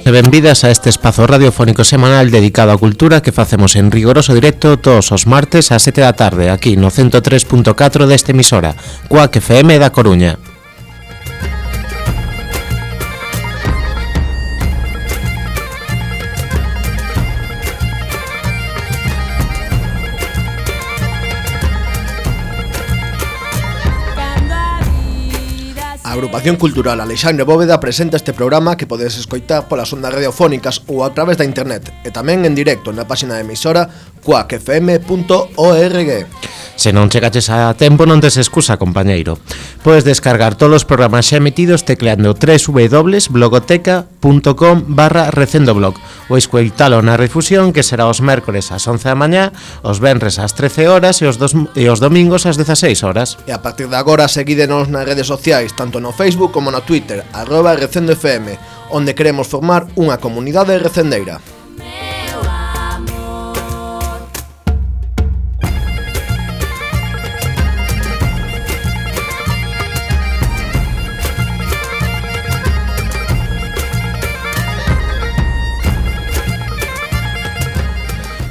e benvidas a este espazo radiofónico semanal dedicado á cultura que facemos en rigoroso directo todos os martes ás 7 da tarde aquí no 103.4 deste emisora, Cuac FM da Coruña. A Agrupación Cultural Alexandre Bóveda presenta este programa que podedes escoitar polas ondas radiofónicas ou a través da internet e tamén en directo na página de emisora cuacfm.org. Se non chegaches a tempo non tes excusa, compañeiro. Podes descargar todos os programas xa emitidos tecleando www.blogoteca.com/recendoblog ou escoitalo na refusión que será os mércores ás 11 da mañá, os venres ás 13 horas e os domingos ás 16 horas. E a partir de agora seguídenos nas redes sociais, tanto no Facebook como no Twitter, @recendofm, onde queremos formar unha comunidade recendeira.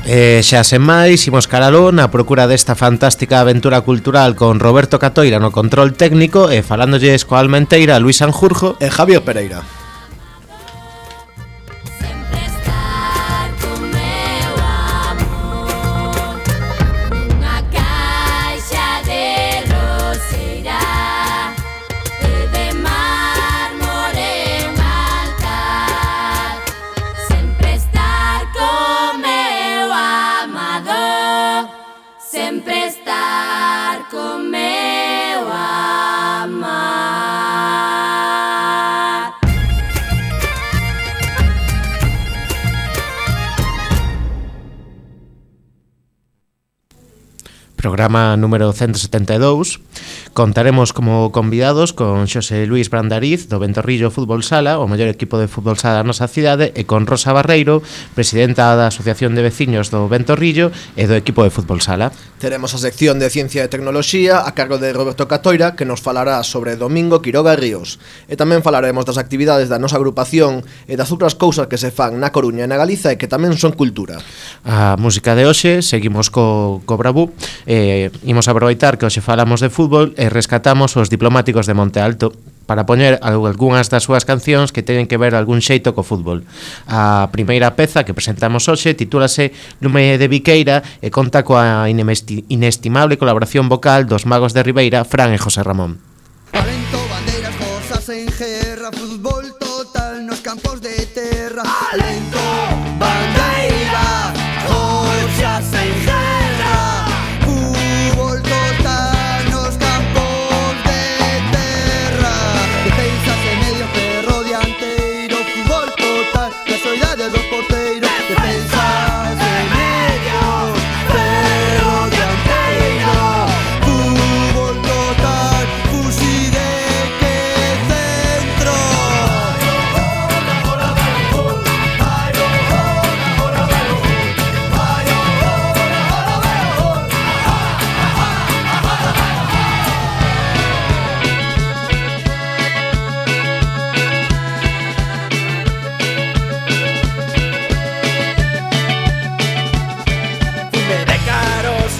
Xa sen máis, imos caraló na procura desta fantástica aventura cultural con Roberto Catoira no control técnico e falándolles coa almenteira Luis Sanjurjo e Javier Pereira. Programa número 172. Contaremos como convidados con Xosé Luís Brandariz do Ventorrillo Fútbol Sala, o mellor equipo de fútbol sala da nosa cidade, e con Rosa Barreiro, presidenta da Asociación de Veciños do Ventorrillo e do equipo de fútbol sala. Teremos a sección de Ciencia e Tecnoloxía a cargo de Roberto Catoira, que nos falará sobre Domingo Quiroga Ríos. E tamén falaremos das actividades da nosa agrupación e das outras cousas que se fan na Coruña e na Galiza e que tamén son cultura. A música de hoxe, seguimos co Bravú. Imos aproveitar que hoxe falamos de fútbol e rescatamos os Diplomáticos de Monte Alto para poñer algunhas das súas cancións que teñen que ver algún xeito co fútbol. A primeira peza que presentamos hoxe titúlase Lume de Viqueira e conta coa inestimable colaboración vocal dos magos de Ribeira, Fran e José Ramón. Talento, bandeiras, cosas en guerra, fútbol total nos campos de terra. Talento, bandeiras, cosas en guerra.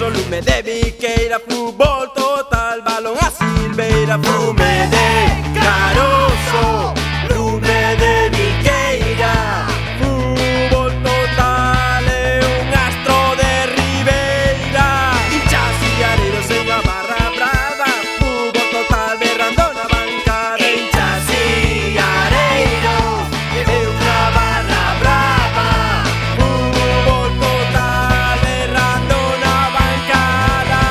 Lume de Viqueira, fútbol total, balón a Silveira, Lume de Caroso, Lume de Viqueira, fútbol total, é un astro de Ribeira, hinchas e areiros en a barra brava, fútbol total berrando na bancada, hinchas e areiros, é unha barra brava, fútbol total berrando na bancada.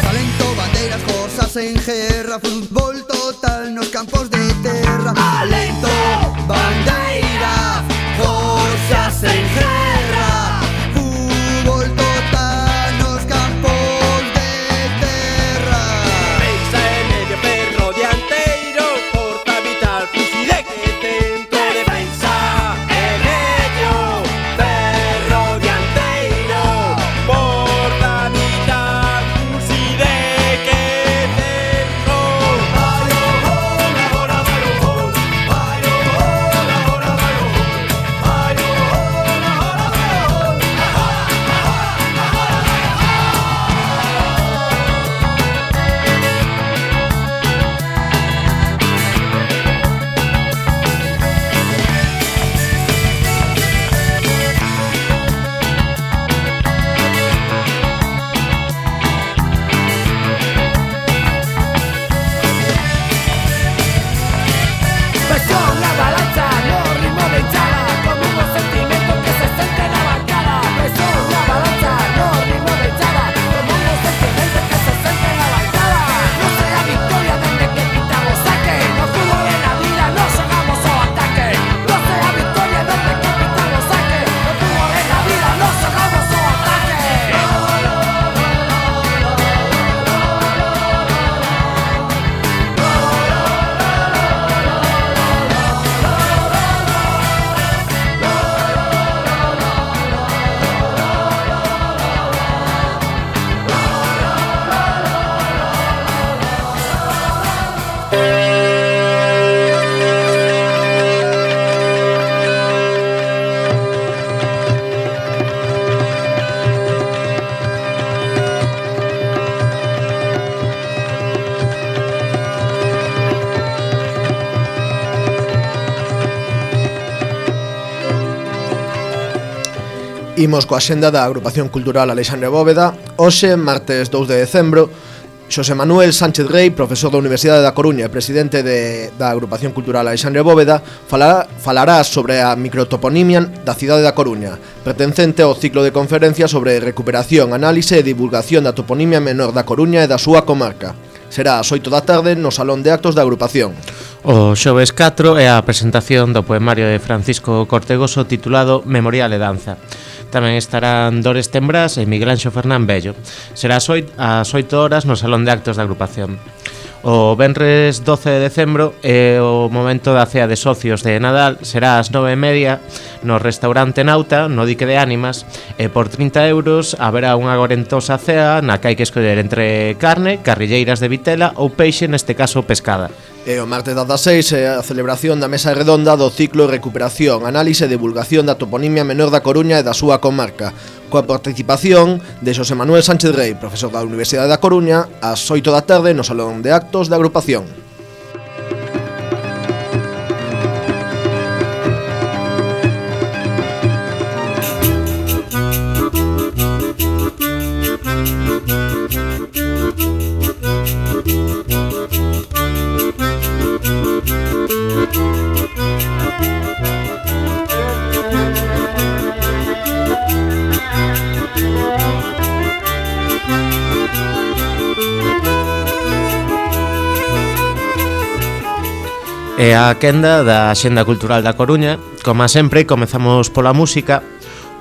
Talento, bandeiras, cosas en guerra, fútbol total nos campos de terra. Talento, bandeiras, cosas en guerra, fútbol total nos campos de terra. Imos coa xenda da Agrupación Cultural Alexandre Bóveda. Hoxe, martes 2 de decembro, Xosé Manuel Sánchez Rey, profesor da Universidade da Coruña e presidente da Agrupación Cultural Alexandre Bóveda, falará sobre a microtoponimia da cidade da Coruña, pertencente ao ciclo de conferencias sobre recuperación, análise e divulgación da toponimia menor da Coruña e da súa comarca. Será ás 8 da tarde no Salón de Actos da Agrupación. O xoves 4 é a presentación do poemario de Francisco Cortegoso titulado Memorial e Danza. Tamén estarán Dores Tembrás e Miguel Anxo Fernán Bello. Será ás 8 horas no Salón de Actos da Agrupación. O venres 12 de decembro é o momento da cea de socios de Nadal. Será ás 9:30 no restaurante Nauta, no Dique de Ánimas, e por 30 euros haberá unha gorentosa cea na que hai que escoller entre carne, carrilleiras de vitela ou peixe, neste caso pescada. E o martes 16 é a celebración da mesa redonda do ciclo Recuperación, Análise e Divulgación da Toponimia Menor da Coruña e da súa comarca, coa participación de Xosé Manuel Sánchez Rey, profesor da Universidade da Coruña, ás 8 da tarde no Salón de Actos da Agrupación. E a quenda da Axenda Cultural da Coruña. Como sempre, comezamos pola música.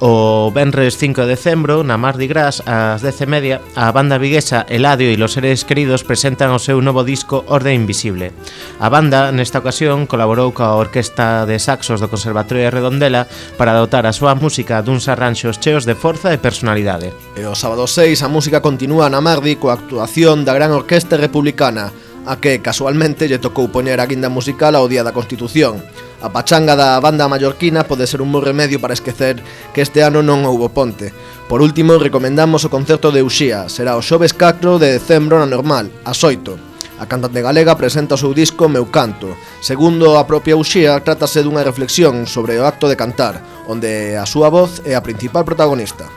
O venres 5 de decembro, na Mardi Gras, ás 10:30, a banda viguesa Eladio e los seres queridos presentan o seu novo disco Orde Invisible. A banda, nesta ocasión, colaborou coa Orquesta de Saxos do Conservatorio de Redondela para dotar a súa música duns arranxos cheos de forza e personalidade. E o sábado 6 a música continúa na Mardi coa actuación da Gran Orquesta Republicana, a que casualmente lle tocou poñer a guinda musical ao Día da Constitución. A pachanga da banda mallorquina pode ser un bo remedio para esquecer que este ano non houbo ponte. Por último, recomendamos o concerto de Uxía. Será o xoves 4 de decembro na Normal, ás 8. A cantante galega presenta o seu disco Meu Canto. Segundo a propia Uxía, trátase dunha reflexión sobre o acto de cantar, onde a súa voz é a principal protagonista.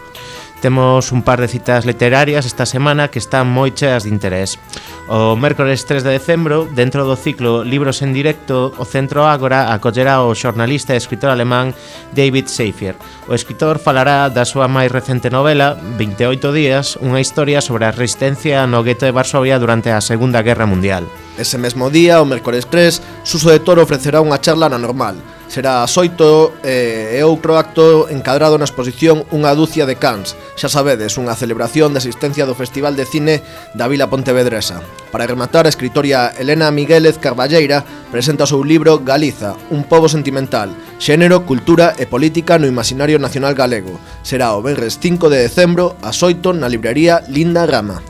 Temos un par de citas literarias esta semana que están moi cheas de interés. O mércores 3 de decembro, dentro do ciclo Libros en Directo, o Centro Ágora acollerá o xornalista e escritor alemán David Seifer. O escritor falará da súa máis recente novela, 28 días, unha historia sobre a resistencia no gueto de Varsovia durante a Segunda Guerra Mundial. Ese mesmo día, o mércores 3, Suso de Toro ofrecerá unha charla na Normal. Será ás 8 e outro acto encadrado na exposición Unha dúcia de cans. Xa sabedes, unha celebración de asistencia do Festival de Cine da Vila Pontevedresa. Para rematar, a escritoria Elena Miguélez Carballeira presenta o seu libro Galiza, un pobo sentimental, xénero, cultura e política no imaginario nacional galego. Será o venres 5 de decembro ás 8 na librería Linda Rama.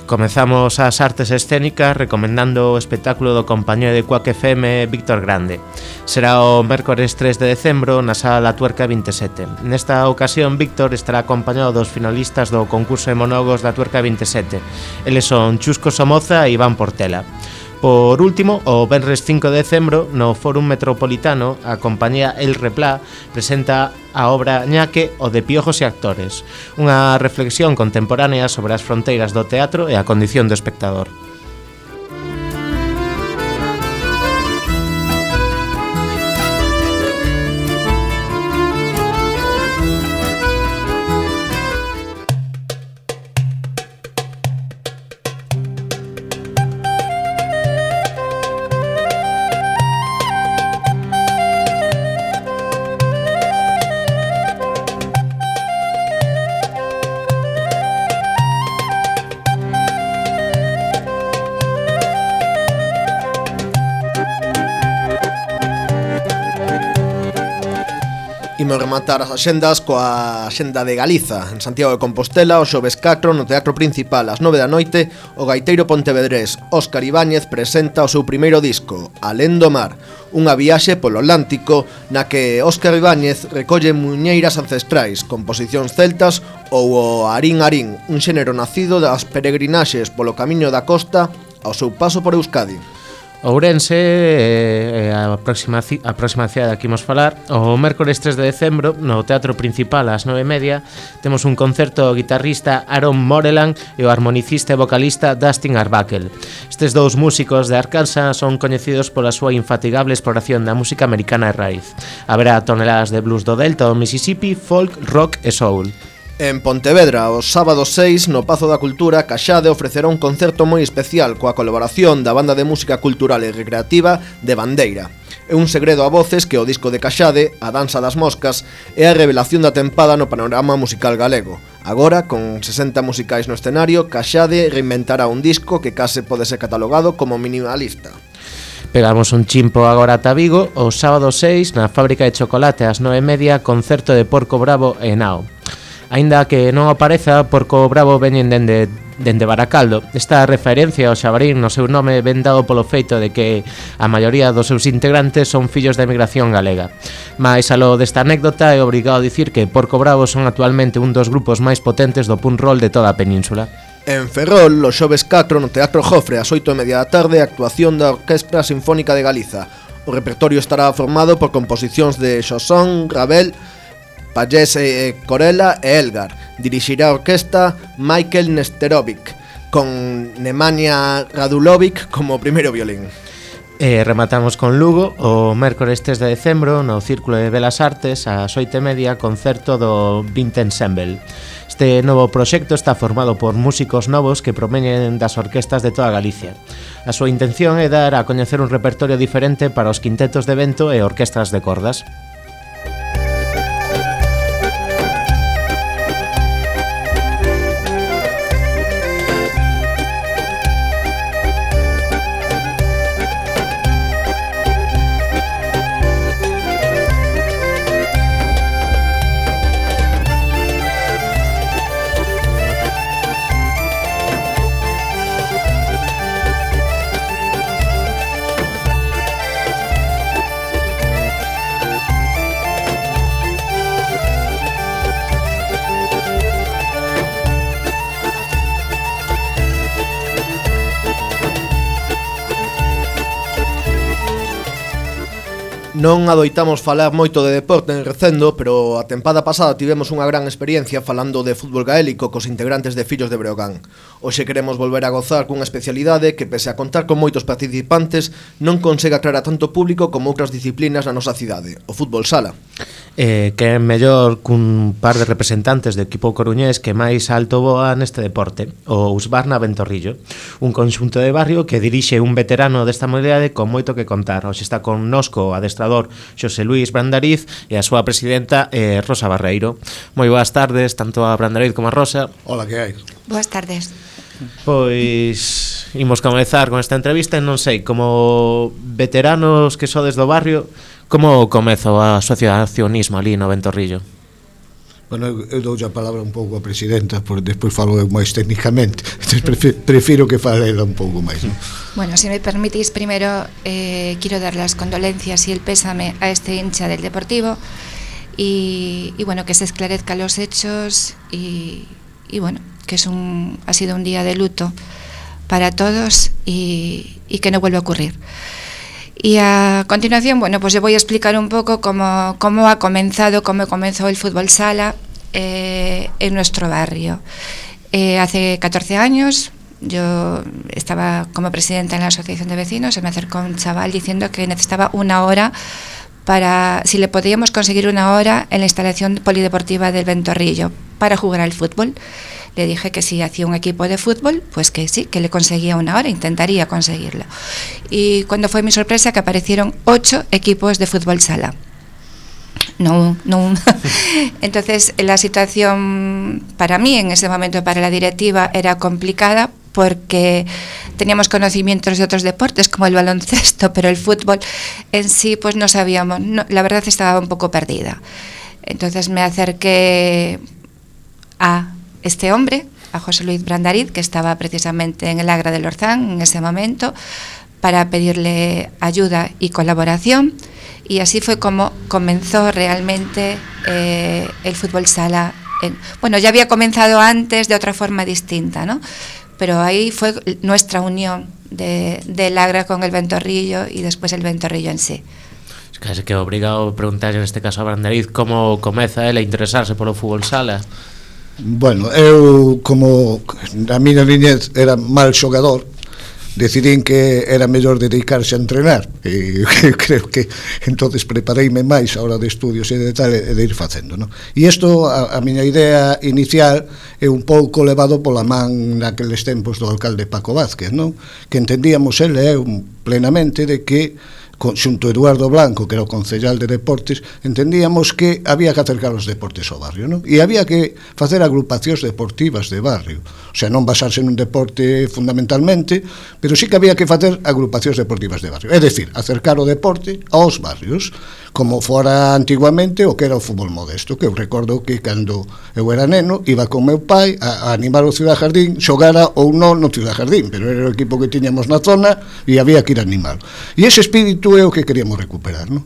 Comezamos as artes escénicas recomendando o espectáculo do compañero de Cuac FM Víctor Grande. Será o mércores 3 de decembro na Sala La Tuerca 27. Nesta ocasión, Víctor estará acompañado dos finalistas do concurso de monólogos da Tuerca 27. Eles son Chusco Somoza e Iván Portela. Por último, o venres 5 de decembro, no Fórum Metropolitano, a compañía El Replá presenta a obra Ñaque, o de Piojos e Actores, unha reflexión contemporánea sobre as fronteiras do teatro e a condición do espectador. Imos rematar as axendas coa Axenda de Galiza. En Santiago de Compostela, o xoves 4, no Teatro Principal, ás 9 da noite, o gaiteiro pontevedrés Óscar Ibáñez presenta o seu primeiro disco, Alén do Mar, unha viaxe polo Atlántico na que Óscar Ibáñez recolle muñeiras ancestrais, composicións celtas ou o Arín Arín, un xénero nacido das peregrinaxes polo camiño da costa ao seu paso por Euskadi. Ourense, a próxima cidade que imos falar, o mércores 3 de decembro, no Teatro Principal ás 9:30, temos un concerto do guitarrista Aaron Moreland e o armonicista e vocalista Dustin Arbuckle. Estes dous músicos de Arkansas son coñecidos pola súa infatigable exploración da música americana de raíz. Haberá toneladas de blues do Delta do Mississippi, folk, rock e soul. En Pontevedra, o sábado 6, no Pazo da Cultura, Caxade ofrecerá un concerto moi especial coa colaboración da banda de música cultural e recreativa de Bandeira. É un segredo a voces que o disco de Caxade, A Danza das Moscas, é a revelación da tempada no panorama musical galego. Agora, con 60 musicais no escenario, Caxade reinventará un disco que case pode ser catalogado como minimalista. Pegamos un chimpo agora ata Vigo, o sábado 6, na Fábrica de Chocolate ás 9:30, concerto de Porco Bravo e Nao. Aínda que non apareza, Porco Bravo veñen dende Baracaldo. Esta referencia ao xabarín no seu nome ven dado polo feito de que a maioría dos seus integrantes son fillos da emigración galega. Mais aló desta anécdota é obrigado a dicir que Porco Bravo son actualmente un dos grupos máis potentes do punk roll de toda a península. En Ferrol, o xoves 4 no Teatro Jofre ás 8:30 da tarde, actuación da Orquestra Sinfónica de Galiza. O repertorio estará formado por composicións de Xosón, Ravel, Pallés, Corella e Elgar. Dirixirá a orquesta Michael Nesterovic, con Nemanja Radulovic como primeiro violín. E rematamos con Lugo, o mércores 3 de decembro, no Círculo de Belas Artes, ás 8:30, concerto do Vint Ensemble. Este novo proxecto está formado por músicos novos que proveñen das orquestas de toda Galicia. A súa intención é dar a coñecer un repertorio diferente para os quintetos de vento e orquestras de cordas. Non adoitamos falar moito de deporte en Recendo, pero a tempada pasada tivemos unha gran experiencia falando de fútbol gaélico cos integrantes de Fillos de Breogán. Hoxe queremos volver a gozar cunha especialidade que, pese a contar con moitos participantes, non consegue atraer a tanto público como outras disciplinas na nosa cidade, o fútbol sala. Que é mellor cun par de representantes do equipo coruñés que máis alto voa neste deporte, o Usbarna Ventorrillo, un conxunto de barrio que dirixe un veterano desta modalidade con moito que contar. Hoxe está connosco o adestrador Xosé Luís Brandariz e a súa presidenta Rosa Barreiro. Moi boas tardes, tanto a Brandariz como a Rosa. Hola, que hai? Boas tardes. Pois imos comezar con esta entrevista e non sei, como veteranos que sodes do barrio, como comeza o asociacionismo ali no Ventorrillo? Bueno, eu dou a palabra un pouco a presidenta, porque despois falo eu máis técnicamente. Prefiro que fale ela un pouco máis, ¿no? Bueno, si me permitís, primero quiero dar las condolencias y el pésame a este hincha del Deportivo y bueno, que se esclarezcan los hechos y bueno, que ha sido un día de luto para todos y que no vuelva a ocurrir. Y a continuación, bueno, pues yo voy a explicar un poco cómo comenzó el fútbol sala en nuestro barrio. Hace 14 años yo estaba como presidenta en la asociación de vecinos, se me acercó un chaval diciendo que necesitaba una hora si le podíamos conseguir una hora en la instalación polideportiva del Ventorrillo para jugar al fútbol. Le dije que si hacía un equipo de fútbol, pues que sí, que le conseguía una hora, intentaría conseguirlo. Y cuando fue mi sorpresa que aparecieron 8 equipos de fútbol sala. No. Entonces la situación para mí en ese momento, para la directiva, era complicada porque teníamos conocimientos de otros deportes como el baloncesto, pero el fútbol en sí pues no sabíamos, la verdad estaba un poco perdida. Entonces me acerqué a este hombre, a José Luis Brandariz, que estaba precisamente en el Agra del Orzán en ese momento, para pedirle ayuda y colaboración, y así fue como comenzó realmente el fútbol sala. Bueno, ya había comenzado antes de otra forma distinta, ¿no? Pero ahí fue nuestra unión del Agra con el Ventorrillo y después el Ventorrillo en sí. Case que obrigado a preguntar neste caso a Brandariz como comeza ela a interesarse polo fútbol sala. Bueno, eu como a miña niñez era mal xogador, decidín que era mellor dedicarse a entrenar e creo que entonces prepareime máis a hora de estudios e de tal e de ir facendo, no? E isto, a miña idea inicial é un pouco levado pola man naqueles tempos do alcalde Paco Vázquez, non? Que entendíamos ele e eu plenamente de que xunto Eduardo Blanco, que era o concellal de deportes, entendíamos que había que acercar os deportes ao barrio, non? E había que facer agrupacións deportivas de barrio, o sea, non basarse nun deporte fundamentalmente, pero sí que había que facer agrupacións deportivas de barrio, é dicir, acercar o deporte aos barrios, como fora antiguamente o que era o fútbol modesto, que eu recordo que cando eu era neno iba con meu pai a animar o Ciudad Jardín, xogara ou non no Ciudad Jardín, pero era o equipo que tiñamos na zona e había que ir a animalo. E ese espírito é o que queríamos recuperar, non?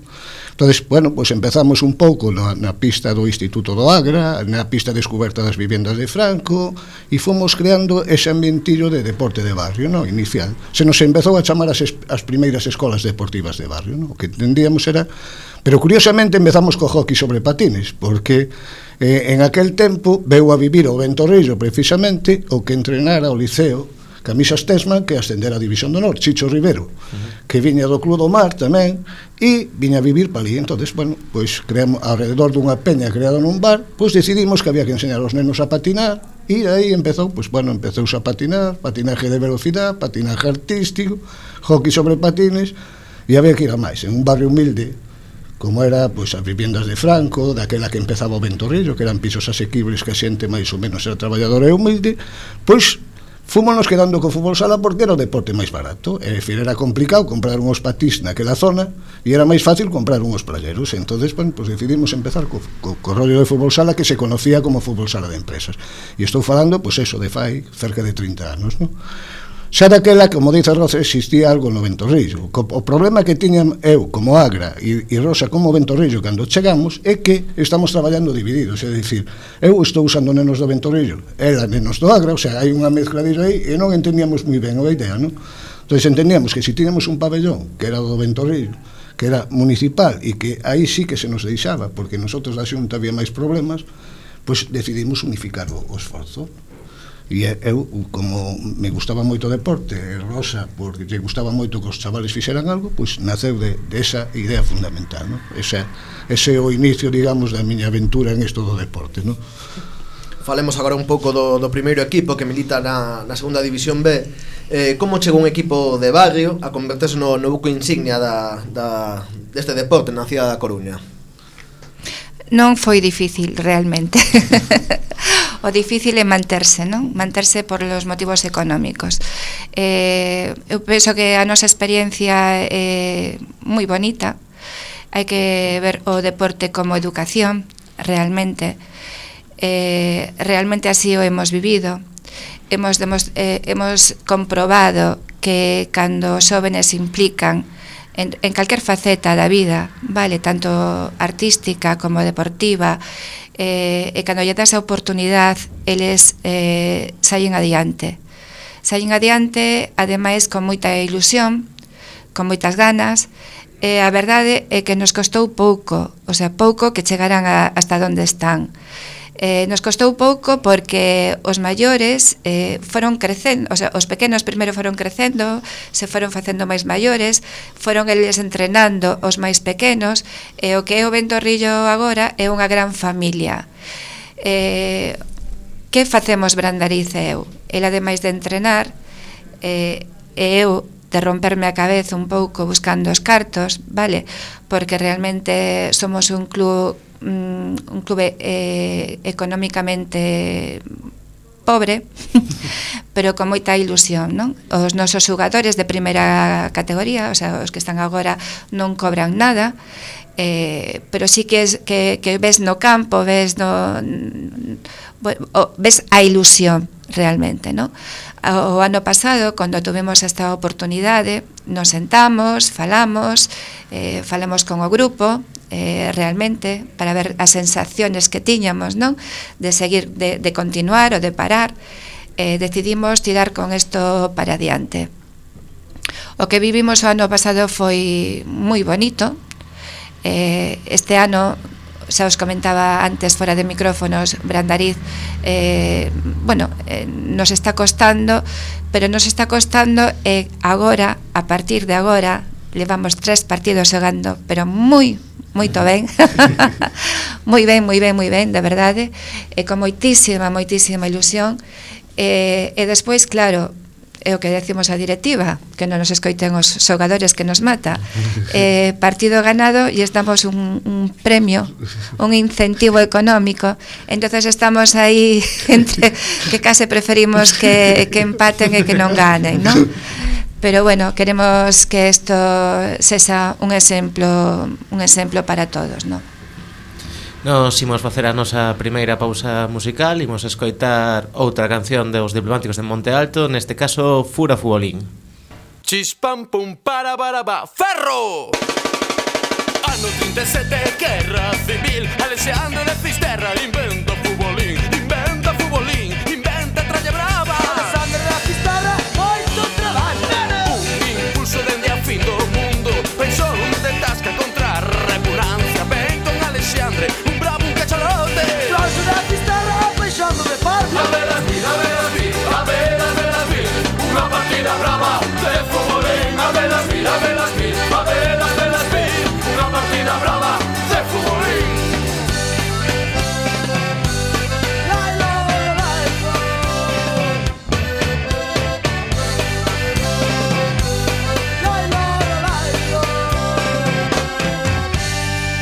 Entonces, bueno, pues empezamos un pouco na pista do Instituto do Agra, na pista descoberta das vivendas de Franco, e fomos creando ese ambientillo de deporte de barrio, non? Inicial. Se nos empezou a chamar as primeiras escolas deportivas de barrio, non? O que entendíamos era... Pero curiosamente empezamos co hockey sobre patines, porque en aquel tempo veu a vivir o Ventorrillo precisamente o que entrenara o Liceo Camisas Tesman, que ascendera a División do Norte, Chicho Rivero, que viña do Club do Mar tamén, e viña a vivir pa ali. Entonces, bueno, pois creamos, alrededor dunha peña creada nun bar, pois decidimos que había que enseñar aos nenos a patinar, e aí empezou, pois bueno, empezouse a patinar, patinaje de velocidade, patinaje artístico, hockey sobre patines, e había que ir a máis, en un barrio humilde, como era, pois, as viviendas de Franco, daquela que empezaba o Ventorrillo, que eran pisos asequibles que a xente máis ou menos era traballadora e humilde, pois fúmonos quedando co fútbol sala porque era o deporte máis barato, é dicir, era complicado comprar unhos patís naquela zona e era máis fácil comprar unhos playeros. Entonces, bueno, pues decidimos empezar co rollo de fútbol sala que se conocía como fútbol sala de empresas. E estou falando, pues eso, de fai cerca de 30 anos, non? Xa daquela, como dice Rosa, existía algo no Ventorrillo. O problema que tiñan eu como Agra e Rosa como Ventorrillo cando chegamos é que estamos traballando divididos, é dicir, eu estou usando nenos do Ventorrillo, ela nenos do Agra, o sea, hai unha mezcla disso aí e non entendíamos moi ben a idea, non? Entón entendíamos que se tiñamos un pabellón que era do Ventorrillo, que era municipal e que aí sí que se nos deixaba, porque nosotros da Xunta había máis problemas, pois decidimos unificar o esforzo. E eu, como me gustaba moito o deporte, Rosa, porque lle gustaba moito que os chavales fixeran algo, pois naceu de esa idea fundamental, non? Ese é o inicio, digamos, da miña aventura en isto do deporte, non? Falemos agora un pouco do primeiro equipo que milita na segunda división B. Como chegou un equipo de barrio a converterse no buco insignia deste deporte na cidade da Coruña? Non foi difícil, realmente. O difícil é manterse, non? Manterse por los motivos económicos. Eu penso que a nosa experiencia é moi bonita. Hai que ver o deporte como educación, realmente. Realmente así o hemos vivido. Hemos comprobado que cando os jóvenes se implican en calquer faceta da vida, vale, tanto artística como deportiva, e cando lle das a oportunidade, eles saen adiante, ademais con moita ilusión, con moitas ganas, e a verdade é que nos costou pouco, o sea, pouco que chegaran hasta onde están. Nos costou pouco porque os maiores foron crecendo, o sea, os pequenos primeiro foron crecendo, se foron facendo máis maiores, foron eles entrenando os máis pequenos, e o que é o Ventorrillo agora é unha gran familia. Que facemos Brandariz e eu? El, ademais de entrenar, e eu de romperme a cabeza un pouco buscando os cartos, vale? Porque realmente somos un club económicamente pobre, pero con moita ilusión, non? Os nosos xogadores de primeira categoría, o sea, os que están agora non cobran nada, pero sí que ves no campo, ves a ilusión realmente, non? O ano pasado, cando tuvemos esta oportunidade, nos sentamos, falamos con o grupo, realmente, para ver as sensaciones que tiñamos, non? De seguir, de continuar ou de parar, decidimos tirar con isto para adiante. O que vivimos o ano pasado foi moi bonito. Este ano, xa os comentaba antes fora de micrófonos, Brandariz nos está costando, pero nos está costando agora, a partir de agora, levamos 3 partidos xogando, pero moito ben moi ben, de verdade, con moitísima ilusión, e despois, claro, é o que decimos a directiva, que non nos escoiten os xogadores que nos mata. Partido ganado e estamos un premio, un incentivo económico. Entonces estamos aí entre que case preferimos que empaten e que non ganen, ¿no? Pero bueno, queremos que isto sexa un exemplo para todos, ¿no? Nos imos facer a nosa primeira pausa musical. Imos escoitar outra canción dos Diplomáticos de Monte Alto, neste caso Fura Futbolín. Chispam pum para baraba, ferro! Ano 37, guerra civil, Alexandre de Fisterra inventa futbolín, inventa tralla brava. Alexandre de Fisterra, moito traballo. Un impulso dende a fin do mundo, pensou de tasca contra a repugnancia. Ben con Alexandre, una partida brava de futbolín, a velas mil, una partida brava de futbolín.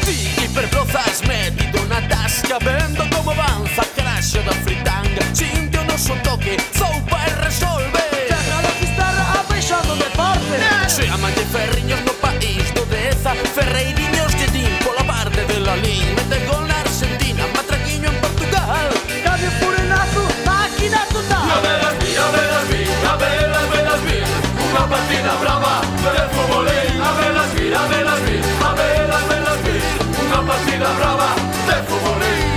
Ti hiperprozas metido na tasca, vendo como avanza craxo da fritanga, sinto no son toque, zoupa e resolve. Se aman de ferriños no país do Deza, ferreiriños que din pola parte de la Lin, mete gol na Argentina, matraquiño en Portugal. Cambio furenazo, máquina total. A velas mil, unha partida brava de futbolín. A velas mil, unha partida brava de futbolín.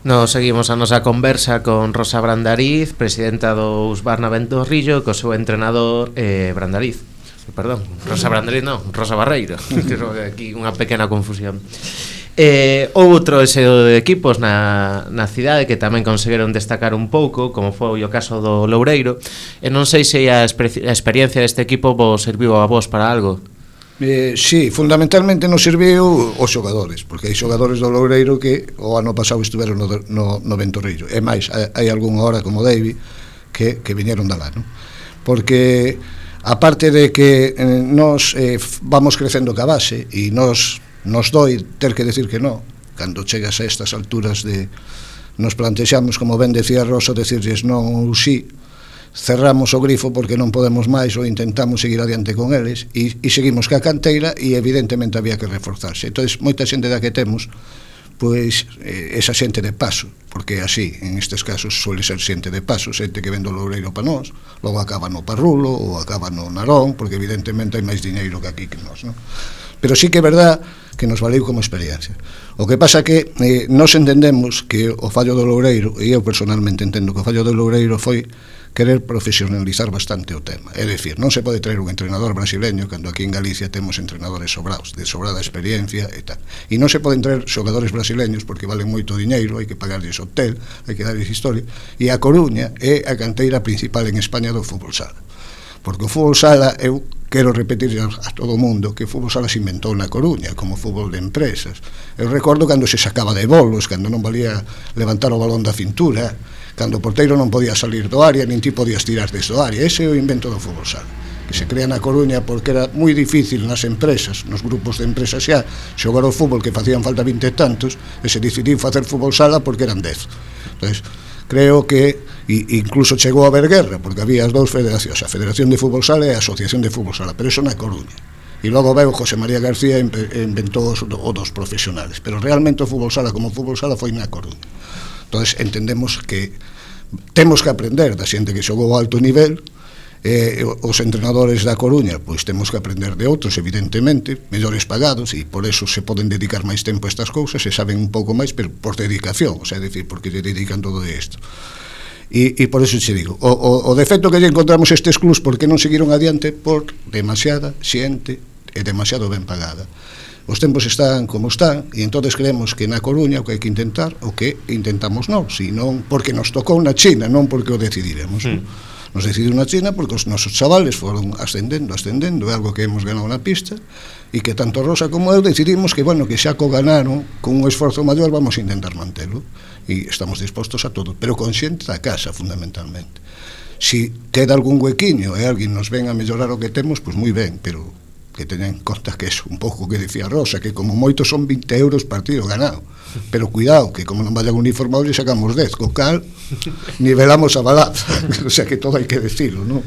Nos seguimos a nosa conversa con Rosa Brandariz, presidenta do Husqvarna Ventorrillo, co seu entrenador Brandariz. Perdón, Rosa Brandariz non, Rosa Barreiro. Aquí unha pequena confusión. Outro de equipos na cidade que tamén conseguiron destacar un pouco, como foi o caso do Loureiro, e non sei se a experiencia deste equipo vos serviu a vos para algo. Sí, fundamentalmente nos serviu os xogadores, porque hai xogadores do Loureiro que o ano pasado estiveron no Ventorrillo, e máis, hai algunha hora como David que viñeron da lá, non? Porque aparte de que nos vamos crecendo ca base e nos doi ter que decir que non, cando chegas a estas alturas nos plantexamos, como ben decía Rosa, decirles non ou sí, cerramos o grifo porque non podemos máis ou intentamos seguir adiante con eles e seguimos ca canteira e evidentemente había que reforzarse. Entón, moita xente da que temos, pois esa xente de paso, porque así, en estes casos suele ser xente de paso, xente que vende o Loureiro para nós, logo acaba no Parrulo ou acaba no Narón, porque evidentemente hai máis diñeiro que aquí que nós, non? Pero sí que é verdad que nos valeu como experiencia. O que pasa que nós entendemos que o fallo do Loureiro, e eu personalmente entendo que o fallo do Loureiro foi querer profesionalizar bastante o tema. É dicir, non se pode traer un entrenador brasileño cando aquí en Galicia temos entrenadores sobrados, de sobrada experiencia e tal. E non se poden traer xogadores brasileños porque valen moito diñeiro, hai que pagarlles hotel, hai que darlles historia. E a Coruña é a canteira principal en España do fútbol sala. Porque o fútbol sala, eu quero repetir a todo o mundo que o fútbol sala se inventou na Coruña como fútbol de empresas. Eu recordo cando se sacaba de bolos, cando non valía levantar o balón da cintura, cando o porteiro non podía salir do área, nin ti podías tirar desde o área. Ese é o invento do fútbol sala, que se crea na Coruña porque era moi difícil nas empresas, nos grupos de empresas xa, xogar o fútbol que facían falta 20 e tantos, e se decidiu facer fútbol sala porque eran 10. Entón, creo que incluso chegou a haber guerra, porque había as dous federacións, a Federación de Fútbol Sala e a Asociación de Fútbol Sala, pero eso na Coruña. E logo veu José María García e inventou o dos profesionales, pero realmente o fútbol sala como fútbol sala foi na Coruña. Entón entendemos que temos que aprender da xente que xogou a alto nivel. Os entrenadores da Coruña pois temos que aprender de outros, evidentemente, mellores pagados, e por eso se poden dedicar máis tempo a estas cousas, se saben un pouco máis, pero por dedicación, o sea, decir, porque lle dedican todo isto. E por eso che digo, o defecto que lle encontramos estes clubs porque non seguiron adiante por demasiada xente e demasiado ben pagada. Os tempos están como están, e entonces creemos que na Coruña o que hai que intentar, o que intentamos nós, e non porque nos tocou na China, non porque o decidiremos, Nos decidiu na China porque os nosos chavales foron ascendendo, é algo que hemos ganado na pista, e que tanto Rosa como eu decidimos que, bueno, que xa co ganaron, con un esforzo maior vamos a intentar mantelo, e estamos dispostos a todo, pero con xente da casa, fundamentalmente. Si queda algún huequiño e alguén nos ven a mellorar o que temos, pois moi ben, pero que teñen en conta que é un pouco que dicía Rosa, que como moito son 20 euros partido ganado, pero cuidado, que como non vayan uniformados lle sacamos 10, co cal nivelamos a balanza, o sea que todo hai que decirlo, non?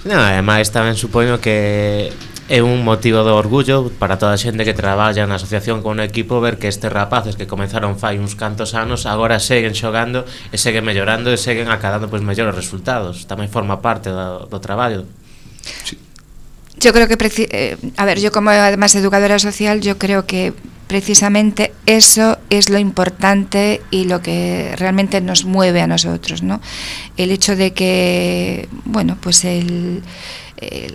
Non, ademais tamén supoño que é un motivo de orgullo para toda a xente que traballa na asociación con un equipo ver que estes rapaces que comenzaron fai uns cantos anos agora seguen xogando e seguen mellorando e seguen acadando pois mellores resultados. Tamén forma parte do traballo. Sí. Yo creo que, a ver, yo como además educadora social, yo creo que precisamente eso es lo importante y lo que realmente nos mueve a nosotros, ¿no? El hecho de que, bueno, pues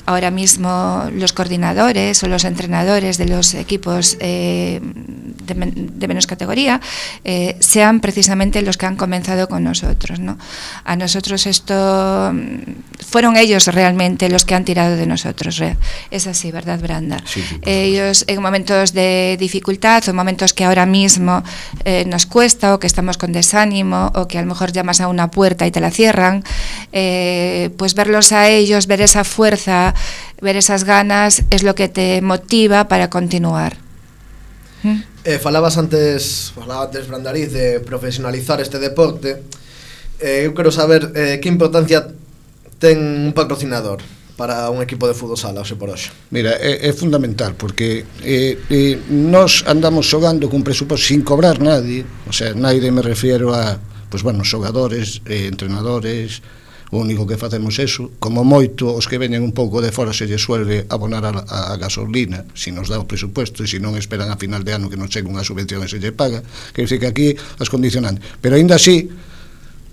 ahora mismo los coordinadores o los entrenadores de los equipos de menos categoría sean precisamente los que han comenzado con nosotros, ¿no? A nosotros esto fueron ellos realmente los que han tirado de nosotros, es así, ¿verdad, Branda? Sí, ellos en momentos de dificultad o momentos que ahora mismo nos cuesta o que estamos con desánimo o que a lo mejor llamas a una puerta y te la cierran, pues verlos a ellos, ver esa fuerza, ver esas ganas es lo que te motiva para continuar. Falabas antes, Brandariz, de profesionalizar este deporte. Eu quero saber que importancia ten un patrocinador para un equipo de fútbol sala, hoxe por hoxe. Mira, é fundamental, porque nós andamos xogando cun presuposto sin cobrar nadie, o sea, nadie me refiero a, pues bueno, xogadores, entrenadores. O único que facemos eso, como moito os que veñen un pouco de fora se lle suele abonar a gasolina, se nos dá o presupuesto, e se non esperan a final de ano que nos chegue unha subvención e se lle paga, quer dizer que aquí as condicionantes, pero aínda así,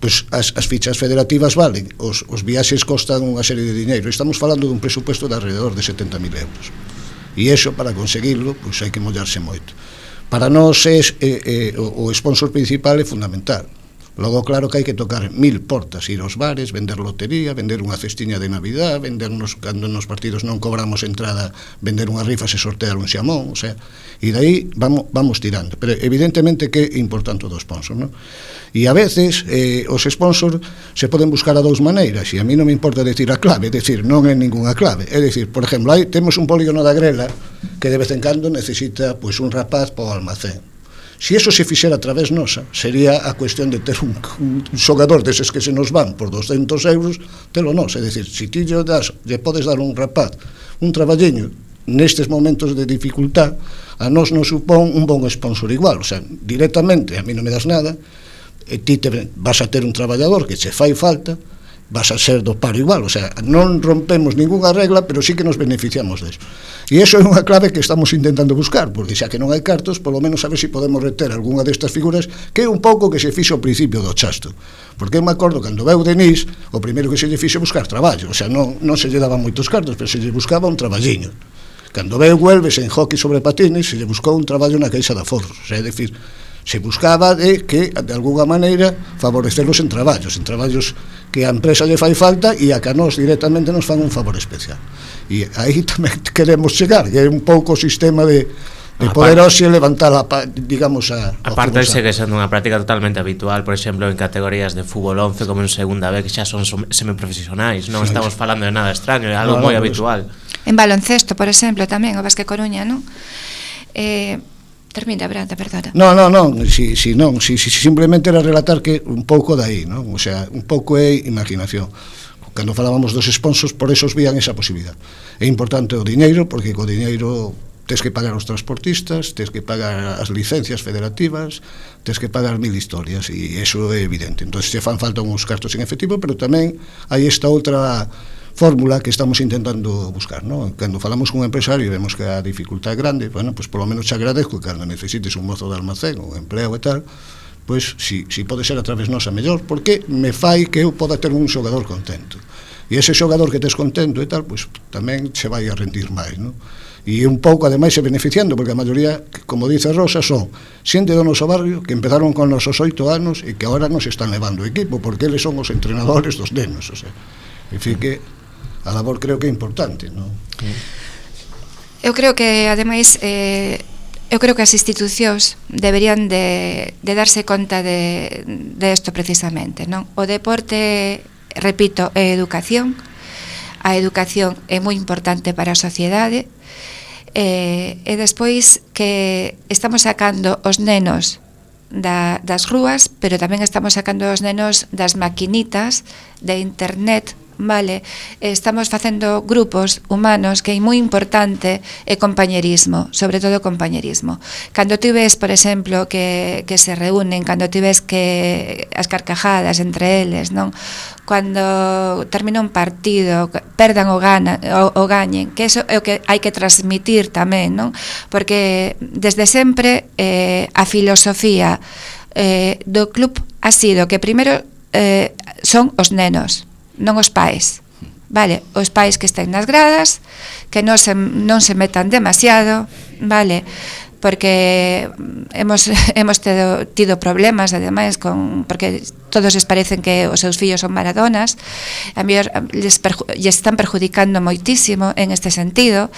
pues as fichas federativas valen, os viaxes costan unha serie de diñeiro, estamos falando dun presupuesto de alrededor de 70.000 euros, e iso para conseguirlo, pues hai que mollarse moito. Para nós o sponsor principal é fundamental. Logo, claro que hai que tocar 1000 portas, ir aos bares, vender lotería, vender unha cestiña de Navidad, vendernos, cando nos partidos non cobramos entrada, vender unha rifa se sortear un xamón, o sea, e dai vamos tirando. Pero evidentemente que é importante o do sponsor, non? E a veces os sponsors se poden buscar a dous maneiras, e a mí non me importa decir a clave, é dicir, non é ninguna clave, é dicir, por exemplo, temos un polígono da Grela que de vez en cando necesita pois un rapaz para o almacén. Se eso se fixera a través nosa, sería a cuestión de ter un xogador deses que se nos van por 200 euros, telo nos, é dicir, se ti lle podes dar un rapaz, un traballeño, nestes momentos de dificultad, a nos non supón un bon sponsor igual, o sea, directamente, a mí non me das nada, e ti vas a ter un traballador que che fai falta, vas a ser do paro igual, o sea, non rompemos ninguna regla, pero sí que nos beneficiamos deso. E iso é unha clave que estamos intentando buscar, porque xa que non hai cartos, polo menos a ver se podemos reter algunha destas figuras, que é un pouco que se fixo ao principio do chasto. Porque eu me acordo, cando veu Denis, o primeiro que se lle fixo buscar traballo, o sea, non se lle daban moitos cartos, pero se lle buscaba un traballiño. Cando veu Huelves en hockey sobre patines, se lle buscou un traballo na Caixa de Aforros, o sea, é dicir, se buscaba de que, de alguna maneira, favorecerlos en traballos que a empresa lle fai falta e a que a nós directamente nos fan un favor especial. E aí tamén queremos chegar, que é un pouco o sistema de poder hoxe levantar digamos a parte segue sendo unha práctica totalmente habitual, por exemplo, en categorías de fútbol 11 como en segunda B, que xa son semiprofesionais, non estamos falando de nada extraño, é algo moi habitual. En baloncesto, por exemplo, tamén o Basque Coruña, non? Termina, Branda, perdona. Non, si simplemente era relatar que un pouco dai, non? O sea, un pouco é imaginación. Cando falábamos dos sponsors, por eso os vían esa posibilidad. É importante o diñeiro, porque co diñeiro tes que pagar os transportistas, tes que pagar as licencias federativas, tes que pagar 1000 historias, e eso é evidente. Entón, se fan falta uns cartos en efectivo, pero tamén hai esta outra fórmula que estamos intentando buscar, ¿no? Cando falamos con un empresario e vemos que a dificultad é grande, bueno, pues polo menos te agradezco que cando necesites un mozo de almacén ou empleo e tal, pues si pode ser a través nosa mellor, porque me fai que eu poda ter un xogador contento. E ese xogador que tes contento e tal, pues tamén se vai a rendir máis, ¿no? E un pouco, ademais, se beneficiando, porque a maioría, como dice Rosa, son xente do noso barrio que empezaron con nosos 8 anos e que agora nos están levando o equipo, porque eles son os entrenadores dos nenos, o sea, en fin, que a labor creo que é importante, non? Eu creo que, ademais, eu creo que as institucións deberían de darse conta de isto precisamente, non? O deporte, repito, é educación. A educación é moi importante para a sociedade, e despois que estamos sacando os nenos das rúas, pero tamén estamos sacando os nenos das maquinitas de internet, vale, estamos facendo grupos humanos que é moi importante é compañerismo, sobre todo compañerismo. Cando ti ves, por exemplo, que se reúnen, cando ti ves que as carcajadas entre eles, non? Cando termina un partido, perdan ou gañen, que eso é o que hai que transmitir tamén, non? Porque desde sempre a filosofía do club ha sido que primeiro son os nenos, non os pais, vale? Os pais que estén nas gradas, que non se metan demasiado, vale? Porque hemos tido problemas, ademais, porque todos les parecen que os seus fillos son Maradonas, a mellor les están perjudicando moitísimo en este sentido,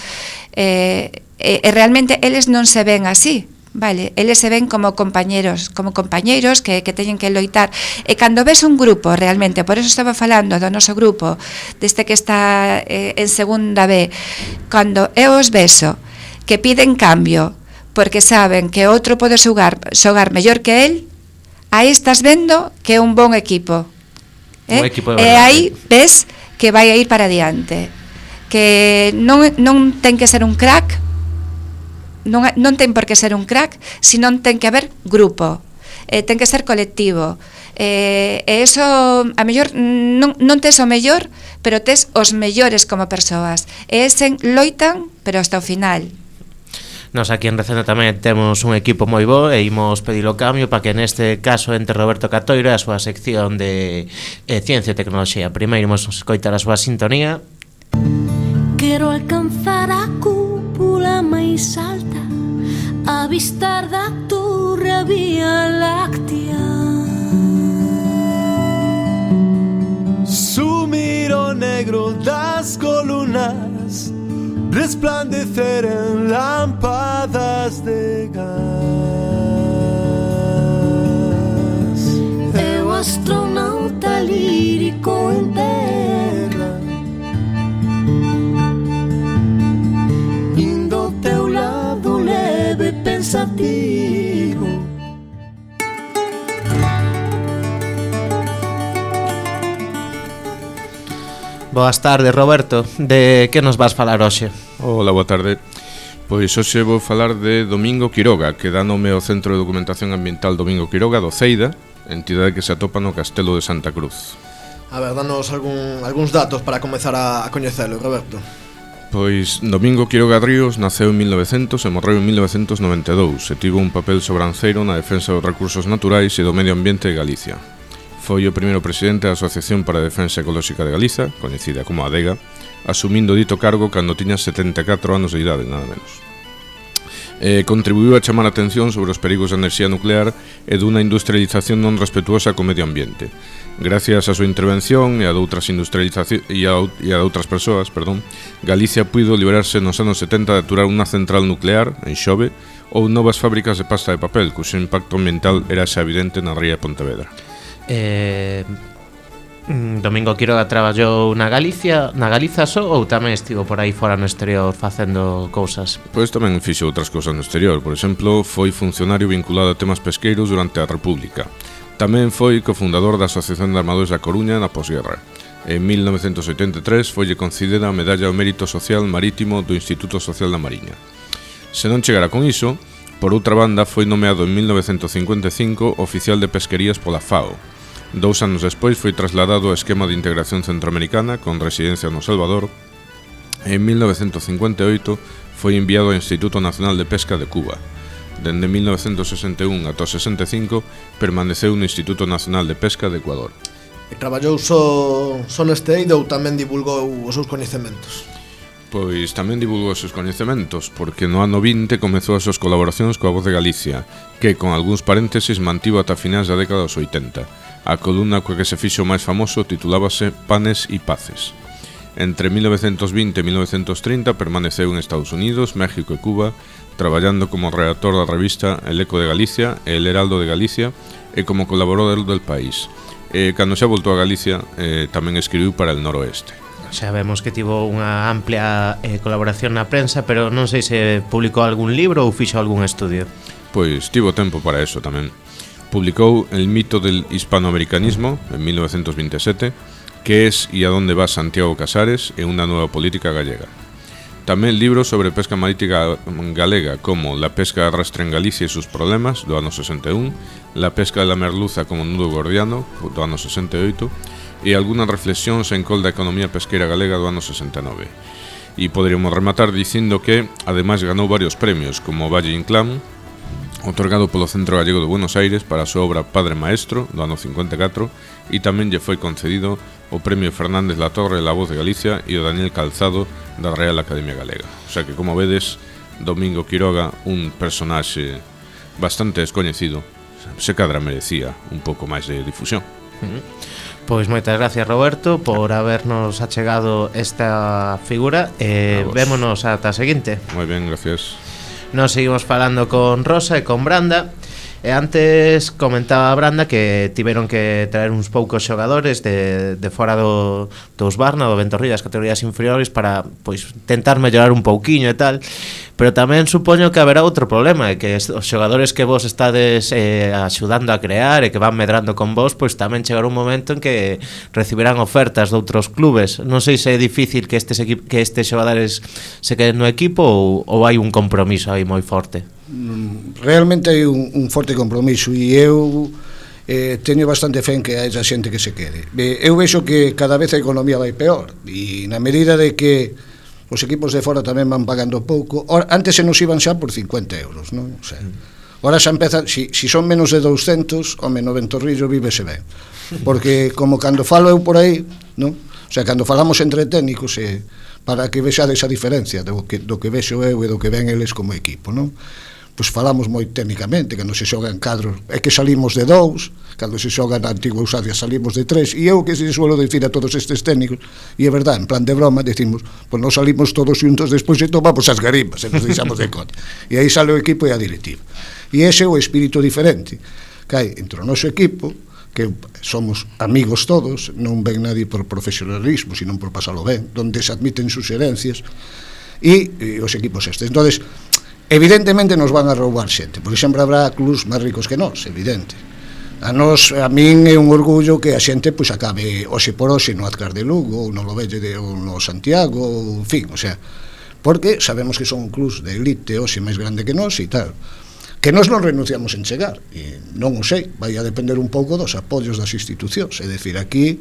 e realmente eles non se ven así, vale, eles se ven como compañeiros que teñen que loitar. E cando ves un grupo realmente, por eso estaba falando do noso grupo deste que está en segunda B, cando eu os beso que piden cambio porque saben que outro pode xogar mellor que el, aí estás vendo que é un bon equipo, un equipo e aí ves que vai a ir para adiante, que non ten que ser un crack, non ten por que ser un crack, senón ten que haber grupo, ten que ser colectivo, e eso a mellor non tes o mellor, pero tes os mellores como persoas, e esen loitan pero hasta o final. Nos aquí en Recendo tamén temos un equipo moi bo e imos pedir o cambio para que neste caso entre Roberto Catoira e a súa sección de Ciencia e Tecnoloxía. Primeiro imos escoitar a súa sintonía. Quero alcanzar a cúpula máis alta, avistar da torre a Vía Láctea, sumir o negro das columnas, resplandecer en lámpadas de gas. Eu astronauta lírico en terra, indo teu lado leve pensativo. Boas tardes, Roberto. De que nos vas falar hoxe? Hola, boa tarde. Pois hoxe vou falar de Domingo Quiroga, que dá nome ao Centro de Documentación Ambiental Domingo Quiroga do Ceida, entidade que se atopa no Castelo de Santa Cruz. A ver, danos algúns datos para comezar a coñecelo, Roberto. Pois Domingo Quiroga Ríos naceu en 1900 e morreu en 1992 e tivo un papel sobranceiro na defensa dos recursos naturais e do medio ambiente de Galicia. Foi o primeiro presidente da Asociación para a Defensa Ecolóxica de Galiza, coñecida como ADEGA, asumindo dito cargo cando tiña 74 anos de idade, nada menos. Contribuiu a chamar a atención sobre os perigos da enerxía nuclear e dunha industrialización non respetuosa co medio ambiente. Gracias á súa intervención e a doutras persoas, Galicia puido liberarse nos anos 70 de aturar unha central nuclear en Xove ou novas fábricas de pasta de papel, cuxo impacto ambiental era xa evidente na ría de Pontevedra. Domingo Quiroga traballou na Galiza só ou tamén estivo por aí fora no exterior facendo cousas? Pois tamén fixo outras cousas no exterior. Por exemplo, foi funcionario vinculado a temas pesqueiros durante a República. Tamén foi cofundador da Asociación de Armadores da Coruña na posguerra. En 1983 foille concedida a Medalla ao Mérito Social Marítimo do Instituto Social da Mariña. Se non chegara con iso, por outra banda foi nomeado en 1955 oficial de pesquerías pola FAO. 2 anos despois foi trasladado ao esquema de integración centroamericana con residencia no Salvador. En 1958 foi enviado ao Instituto Nacional de Pesca de Cuba. Dende 1961 ata o 65 permaneceu no Instituto Nacional de Pesca de Ecuador. E traballou só neste eido ou tamén divulgou os seus coñecementos? Pois tamén divulgou os seus coñecementos, porque no ano 20 comezou as súas colaboracións coa Voz de Galicia, que, con algúns paréntesis, mantivo ata finais da década dos 80. A columna coa que se fixo máis famoso titulábase Panes y Paces. Entre 1920 e 1930 permaneceu en Estados Unidos, México e Cuba, traballando como redactor da revista El Eco de Galicia e El Heraldo de Galicia e como colaborador del País. Cando xa voltou a Galicia, tamén escribiu para El Noroeste. Xa vemos que tivo unha amplia colaboración na prensa, pero non sei se publicou algún libro ou fixo algún estudio. Pois tivo tempo para eso tamén. Publicou El mito del hispanoamericanismo en 1927, que es y a dónde va Santiago Casares en una nueva política gallega. Tamén libros sobre pesca marítima galega como La pesca de arrastre en Galicia e sus problemas, do ano 61, La pesca de la merluza como nudo gordiano, do ano 68, e algunhas reflexións en col da economía pesqueira galega do ano 69. E poderíamos rematar dicindo que, ademais, ganou varios premios, como Valle Inclán, otorgado polo Centro Gallego de Buenos Aires para a súa obra Padre Maestro, do ano 54, e tamén lle foi concedido o Premio Fernández Latorre La Voz de Galicia e o Daniel Calzado da Real Academia Galega. O sea que, como vedes, Domingo Quiroga, un personaxe bastante descoñecido, se cadra merecía un pouco máis de difusión. Pois moitas gracias, Roberto, por habernos achegado esta figura. Vémonos ata a seguinte. Moi ben, gracias. Nos seguimos falando con Rosa e con Branda. E antes comentaba Branda que tiveron que traer uns poucos xogadores de fora dos Barna, do Ventorrilla, das categorías inferiores, para pois tentar mellorar un pouquiño e tal. Pero tamén supoño que haberá outro problema, que os xogadores que vos estades axudando a crear e que van medrando con vos, pois tamén chegará un momento en que recibirán ofertas de outros clubes. Non sei se é difícil que estes xogadores se queden no equipo ou hai un compromiso aí moi forte. Realmente hai un forte compromiso e eu teño bastante fe en que hai esa xente que se quede. Eu vexo que cada vez a economía vai peor e na medida de que os equipos de fora tamén van pagando pouco. Antes se nos iban xa por 50 euros, non? O sea, ahora xa empeza, si son menos de 200, home, no Ventorrillo vívese ben, porque como cando falo eu por aí, non? O sea, cando falamos entre técnicos, para que vexades a diferencia do que vexo eu e do que ven eles como equipo, non? Pois falamos moi técnicamente, cando se xogan cadros é que salimos de 2, cando se xoga na antigua Usadia salimos de 3, e eu que se suelo dicir a todos estes técnicos, e é verdad, en plan de broma, decimos, pois nos salimos todos xuntos despois e tomamos as garimbas, e nos deixamos de conta, e aí sale o equipo e a directiva, e ese é o espírito diferente que hai entre o noso equipo, que somos amigos todos, non ven nadie por profesionalismo, sino por pasalo ben, donde se admiten suxerencias, e os equipos estes. Entonces, evidentemente nos van a roubar xente, porque sempre habrá clubs máis ricos que nós, evidente. A min é un orgullo que a xente pois acabe hoxe por hoxe no Azcar de Lugo, ou no Lovelle ou no Santiago, ou en fin, o sea, porque sabemos que son clubs de elite hoxe máis grande que nós e tal. Que nós non renunciamos en chegar, e non o sei, vai a depender un pouco dos apoios das institucións, é dicir, aquí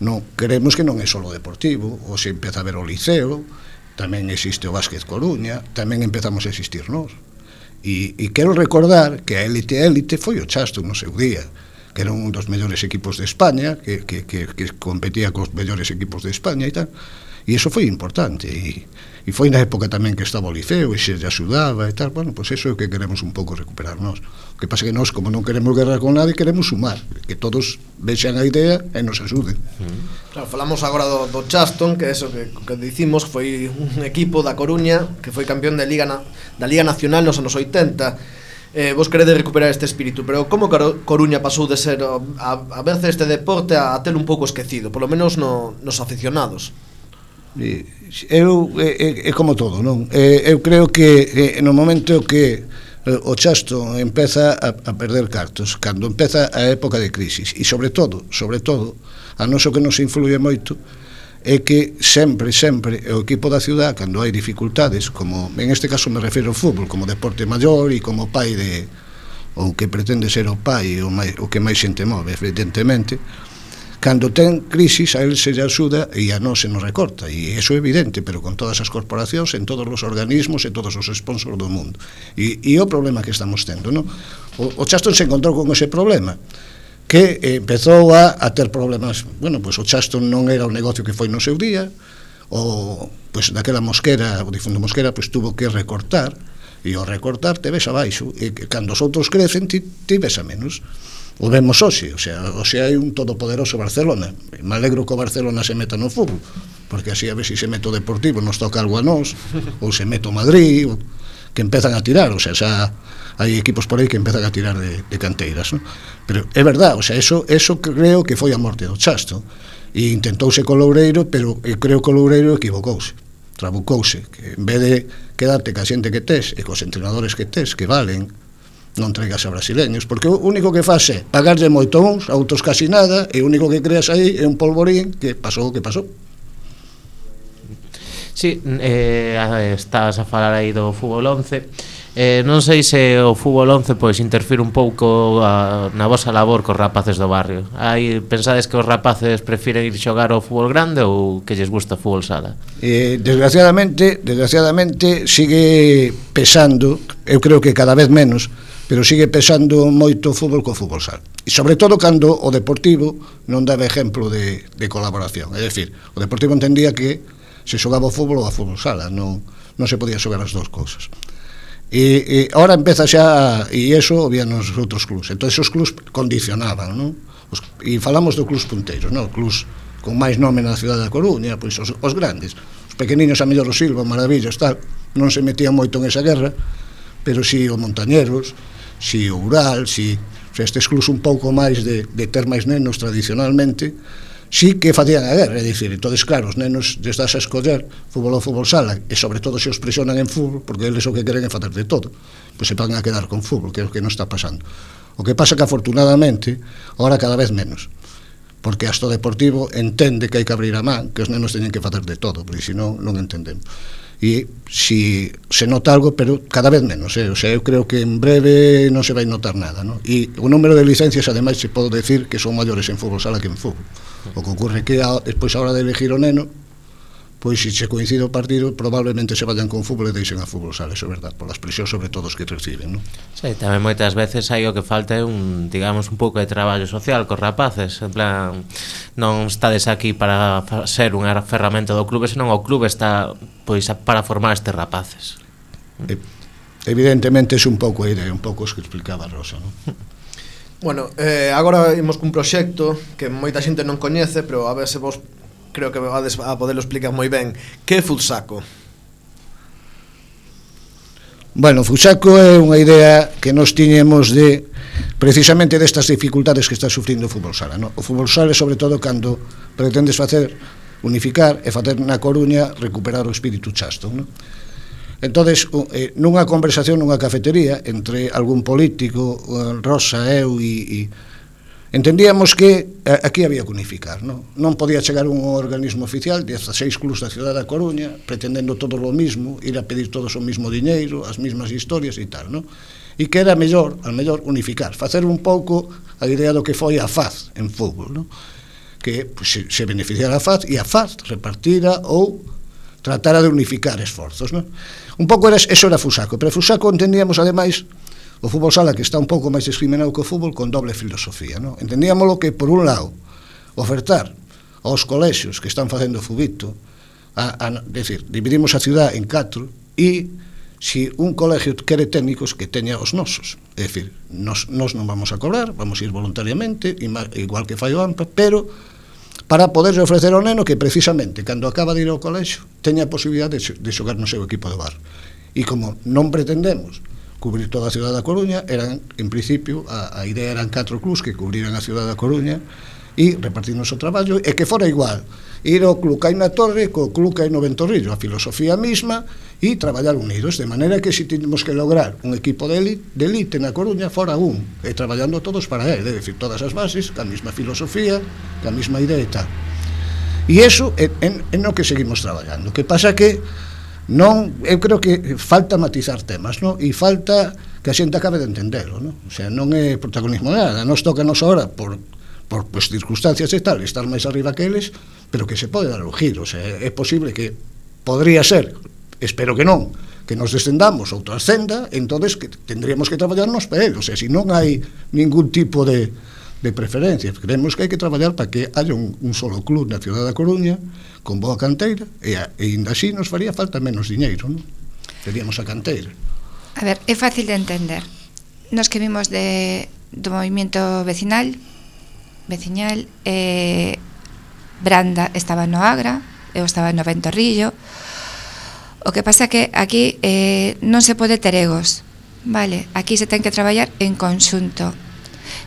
non queremos que non é só o deportivo, hoxe empeza a ver o Liceo, tamén existe o Básquet Coruña, tamén empezamos a existir nós. E quero recordar que a élite foi o Chasto no seu día, que era un dos mellores equipos de España, que competía cos mellores equipos de España e tal, E iso foi importante, e foi na época tamén que estaba o liceo e se lle axudaba e tal. Bueno, pois iso é o que queremos un pouco recuperar nós. O que pasa que nós, como non queremos guerra con nadie, queremos sumar, que todos vexan a idea e nos axuden. Claro, falamos agora do Chaston, que é eso que dicimos, foi un equipo da Coruña que foi campeón da Liga Nacional nos anos 80. Vos queredes recuperar este espírito, pero como Coruña pasou de ser a veces este deporte a telo un pouco esquecido, polo menos nos aficionados? É como todo, non? Eu creo que no momento que o Chaston empeza a perder cartos, cando empeza a época de crisis, e sobre todo, a noso que nos influye moito é que sempre o equipo da ciudad, cando hai dificultades, como en este caso me refiro ao fútbol, como deporte maior e como pai de, ou que pretende ser o pai, o que máis xente move, evidentemente, cando ten crisis a él se lle axuda e a nós se nos recorta, e iso é evidente, pero con todas as corporacións, en todos os organismos e todos os sponsors do mundo, e o problema que estamos tendo, non? O Chaston se encontrou con ese problema, que empezou a ter problemas. Bueno, pois o Chaston non era o negocio que foi no seu día, pois daquela Mosquera, o difunto Mosquera, pois tuvo que recortar, e ao recortar te ves abaixo, e cando os outros crecen ti ves a menos. O vemos hoxe, o sea, hai un todopoderoso Barcelona. Me alegro que o Barcelona se meta no fútbol, porque así a ver se mete o Deportivo, nos toca algo a nós, ou se mete o Madrid, que empezan a tirar, o sea, xa hai equipos por aí que empezan a tirar de canteiras, ¿no? Pero é verdad, o sea, eso creo que foi a morte do Chaston, e intentouse co Loureiro, pero creo que o Loureiro equivocouse, trabucouse, que en vez de quedarte ca xente que tes e cos entrenadores que tes, que valen, non traigas a brasileños, porque o único que faz é pagarlle moito uns, a outros casi nada, e o único que creas aí é un polvorín que pasou o que pasou. Sí, estás a falar aí do fútbol 11. Non sei se o fútbol 11 pois interfire un pouco na vosa labor cos rapaces do barrio. Pensades que os rapaces prefiren ir xogar ao fútbol grande ou que lles gusta o fútbol sala? Desgraciadamente sigue pesando, eu creo que cada vez menos, pero sigue pesando moito o fútbol co fútbol sala. E sobre todo cando o Deportivo non daba exemplo de colaboración. É dicir, o Deportivo entendía que se xogaba o fútbol ou a fútbol sala, non se podía xogar as dous cousas. E ahora empeza xa, e iso había nos outros clubs. Entón, esos clubs condicionaban, non? E falamos do clubs punteiros, non? Clubs con máis nome na cidade da Coruña, pois os grandes. Os pequeniños, a mellor o Silva, Maravillas, tal, non se metían moito en esa guerra, pero si o Montañeros, si o Ural, si estes clubs un pouco máis de ter máis nenos tradicionalmente, sí que facían a guerra, é dicir, entonces claro, os nenos destas a escoller fútbol ou fútbol sala, e sobre todo se os presionan en fútbol, porque eles o que queren é facer de todo, pois se van a quedar con fútbol, que é o que non está pasando. O que pasa que afortunadamente ahora cada vez menos, porque hasta o Deportivo entende que hai que abrir a man, que os nenos teñen que facer de todo, porque senón non entendemos. E si se nota algo, pero cada vez menos, o sea, eu creo que en breve non se vai notar nada, ¿no? E o número de licencias, ademais, se pode decir que son maiores en fútbol sala que en fútbol. O que ocurre que despois a hora de elegir o neno, pois se se coincide o partido, probablemente se vayan con fútbol e deixen a fútbol sala, eso é verdad, por as presións sobre todo os que reciben, non? Sí, tamén moitas veces hai o que falta é digamos, un pouco de traballo social cos rapaces, en plan, non estades aquí para ser unha ferramenta do clube, senón o clube está pois para formar estes rapaces. Evidentemente é un pouco a idea, un pouco os que explicaba Rosa, non? Bueno, agora imos cun proxecto que moita xente non coñece, pero a ver se vos creo que vades a poderlo explicar moi ben. Que é Futsaco? Bueno, Futsaco é unha idea que nos tiñemos de precisamente destas dificultades que está sufrindo o fútbol sala, no? O fútbol sala, sobre todo, cando pretendes unificar e facer na Coruña recuperar o espírito Chaston, no? Entonces, nunha conversación nunha cafetería entre algún político, Rosa, eu e entendíamos que aquí había que unificar, non podía chegar un organismo oficial, 16 clubs da cidade da Coruña, pretendendo todo o mismo, ir a pedir todos o mismo diñeiro, as mismas historias e tal, non? E que era mellor unificar, facer un pouco a idea do que foi a FAZ en fútbol, non? Que se beneficiara a FAZ e a FAZ repartira ou tratara de unificar esforzos, non? Un pouco eso era Futsaco, pero Futsaco entendíamos ademais o fútbol sala que está un pouco máis discriminado que o fútbol con doble filosofía, non? Entendíamolo que, por un lado, ofertar aos colexios que están facendo fubito decir, dividimos a ciudad en 4 e si un colegio quere técnicos que teña os nosos, é dicir, nos non vamos a cobrar, vamos a ir voluntariamente, igual que fai o AMPA, pero para poder ofrecer ao neno que precisamente cando acaba de ir ao colexio teña a posibilidade de xogar no seu equipo de bar. E como non pretendemos cubrir toda a ciudad da Coruña, eran, en principio, a idea eran 4 clubs que cubriran a ciudad da Coruña e repartirnos o traballo, e que fora igual ir ao club que hai na Torre co club que hai no Ventorrillo, a filosofía misma, e traballar unidos, de maneira que se temos que lograr un equipo de elite na Coruña fora e traballando todos para él, é dicir, todas as bases, ca mesma filosofía, ca mesma idea e tal. E iso é no que seguimos traballando. O que pasa que eu creo que falta matizar temas, non? E falta que a xente acabe de entendelo, non? O sea, non é protagonismo de nada, nos toca nos ahora por circunstancias e tal, estar máis arriba que eles, pero que se pode dar o giro, o sea, é posible que podría ser, espero que non, que nos descendamos ou trascenda, entonces que tendríamos que traballarnos para él, o sea, si non hai ningún tipo de preferencia, creemos que hai que traballar para que haya un solo club na ciudad da Coruña, con boa canteira, e ainda así nos faría falta menos diñeiro, non? Teríamos a canteira. A ver, é fácil de entender. Nos que vimos do movimento veciñal, Branda estaba no Agra, eu estaba no Ventorrillo. O que pasa que aquí non se pode ter egos, vale? Aquí se ten que traballar en conxunto.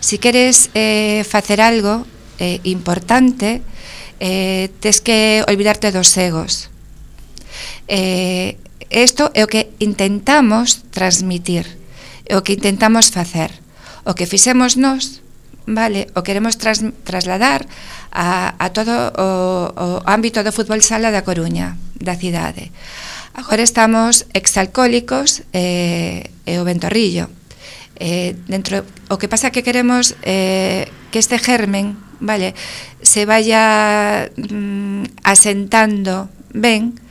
Si queres facer algo importante, tes que olvidarte dos egos. Isto é o que intentamos transmitir, é o que intentamos facer. O que fixemos nós, vale, o queremos trasladar a todo o ámbito do fútbol sala da Coruña, da cidade. Agora estamos exalcohólicos e o Ventorrillo. O que pasa que queremos que este germen, vale, se vaya asentando ben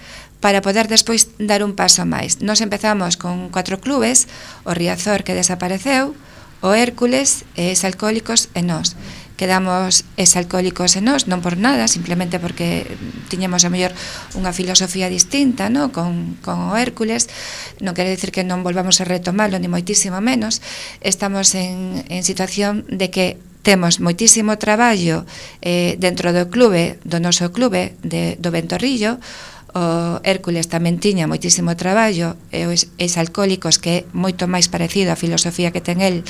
para poder despois dar un paso máis. Nos empezamos con 4 clubes, o Riazor que desapareceu, o Hércules, exalcohólicos e nós. Quedamos exalcohólicos e nós, non por nada, simplemente porque tiñamos a mellor unha filosofía distinta, no? con o Hércules. Non quere dicir que non volvamos a retomarlo, ni moitísimo menos. Estamos en situación de que temos moitísimo traballo dentro do clube, do noso clube do Ventorrillo. O Hércules tamén tiña moitísimo traballo, e os exalcohólicos, que é moito máis parecido á filosofía que teñen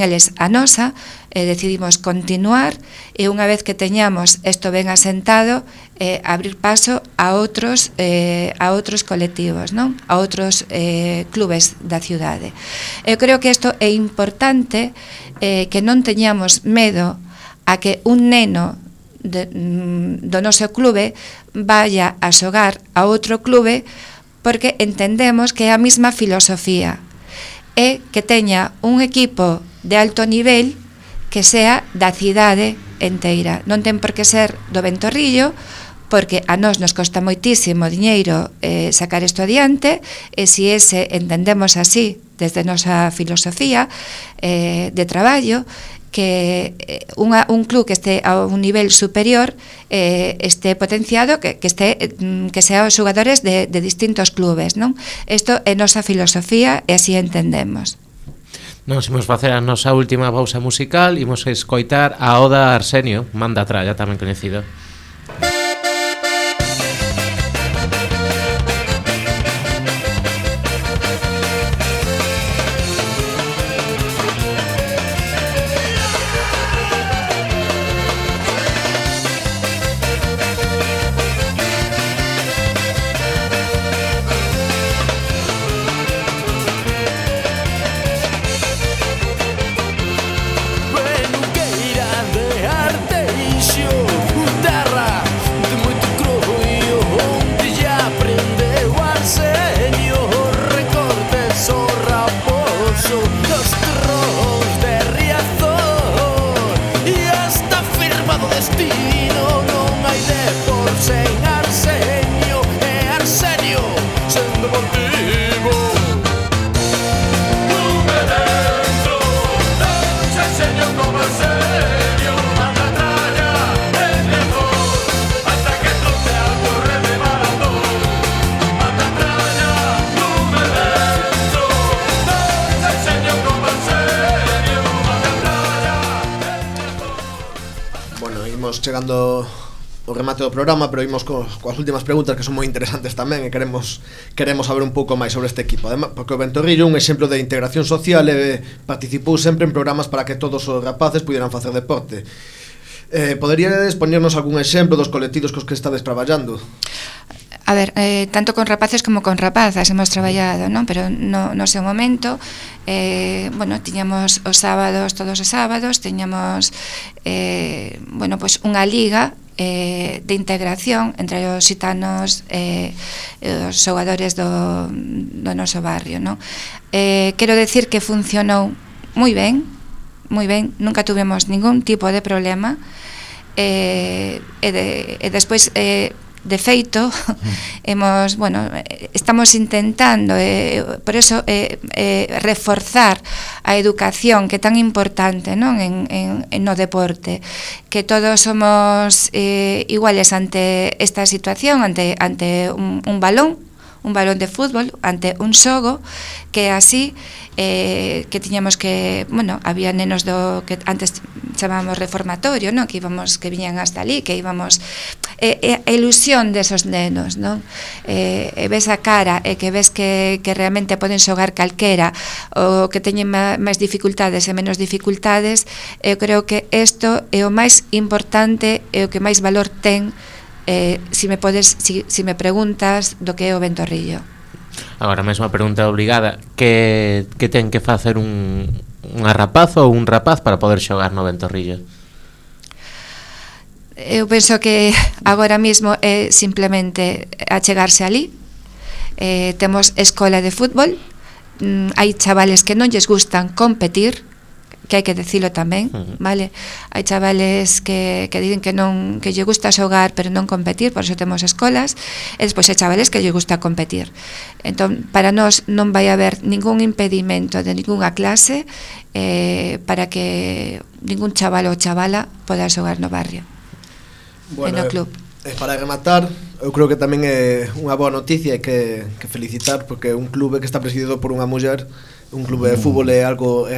eles a nosa, decidimos continuar, e unha vez que teñamos isto ben asentado, abrir paso a outros colectivos, non? A outros clubes da cidade. Eu creo que isto é importante, que non teñamos medo a que un neno do noso clube vaya a xogar a outro clube, porque entendemos que é a mesma filosofía, e que teña un equipo de alto nivel que sea da cidade enteira. Non ten por que ser do Ventorrillo, porque a nós nos costa moitísimo diñeiro sacar isto adiante, e se ese entendemos así desde nosa filosofía de traballo, que un club que este a un nivel superior este potenciado, que sea os xogadores de distintos clubes, non? Isto é nosa filosofía e así entendemos. Nos imos facer a nosa última pausa musical, imos escoitar a Oda Arsenio, Manda Tralla, tamén coñecido. Da Imos chegando o remate do programa, pero imos coas últimas preguntas que son moi interesantes tamén e queremos saber un pouco máis sobre este equipo. Además, porque o Ventorrillo é un exemplo de integración social e participou sempre en programas para que todos os rapaces pudieran facer deporte. Poderíades poñernos algún exemplo dos colectivos cos que estades traballando? A ver, tanto con rapaces como con rapazas hemos traballado, non? Pero no seu momento, bueno, tiñamos os sábados, todos os sábados, tiñamos, bueno, pues unha liga de integración entre os xitanos e os xogadores do noso barrio, non? Quero decir que funcionou moi ben, nunca tuvemos ningún tipo de problema, e despois, de feito, estamos intentando, por eso, reforzar a educación, que é tan importante, non, no deporte, que todos somos iguales ante esta situación, ante un balón de fútbol, ante un xogo, que así que tiñamos que, bueno, había nenos do que antes chamábamos reformatorio, non? Que viñan hasta ali, que íbamos a ilusión desos nenos, non? Ves a cara e que ves que realmente poden xogar calquera, ou que teñen máis dificultades e menos dificultades. Eu creo que isto é o máis importante e o que máis valor ten, si me preguntas do que é o Ventorrillo. Agora mesmo a pregunta obligada: que ten que facer unha rapaz ou un rapaz para poder xogar no Ventorrillo? Eu penso que agora mesmo é simplemente achegarse ali. Temos escola de fútbol, hai chavales que non lles gustan competir, que hai que dicilo tamén, vale? Hai chavales que dicen que lle gusta xogar pero non competir, por iso temos escolas, e despois hai chavales que lle gusta competir. Entón, para nós non vai haber ningún impedimento de ninguna clase para que ningún chaval ou chavala poda xogar no barrio, e no club. Para rematar, eu creo que tamén é unha boa noticia e que felicitar, porque un clube que está presidido por unha muller, un clube de fútbol é algo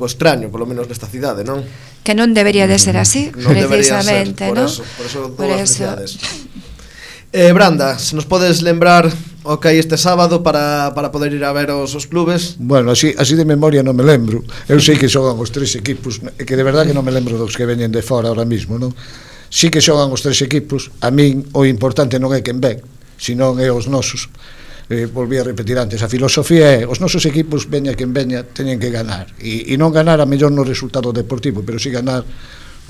extraño, polo menos nesta cidade, non? Que non debería de ser así, precisamente, non? Por eso todas as felicidades. Branda, se nos podes lembrar o que hai este sábado para poder ir a ver os clubes? Bueno, así de memoria non me lembro. Eu sei que xogan os tres equipos, que de verdade que non me lembro dos que veñen de fora ahora mismo, non? Sí que xogan os tres equipos. A min o importante non é quen ven, senón é os nosos. Volví a repetir antes, a filosofía é os nosos equipos, veña quen veña, teñen que ganar, e non ganar a mellor no resultado deportivo, pero si ganar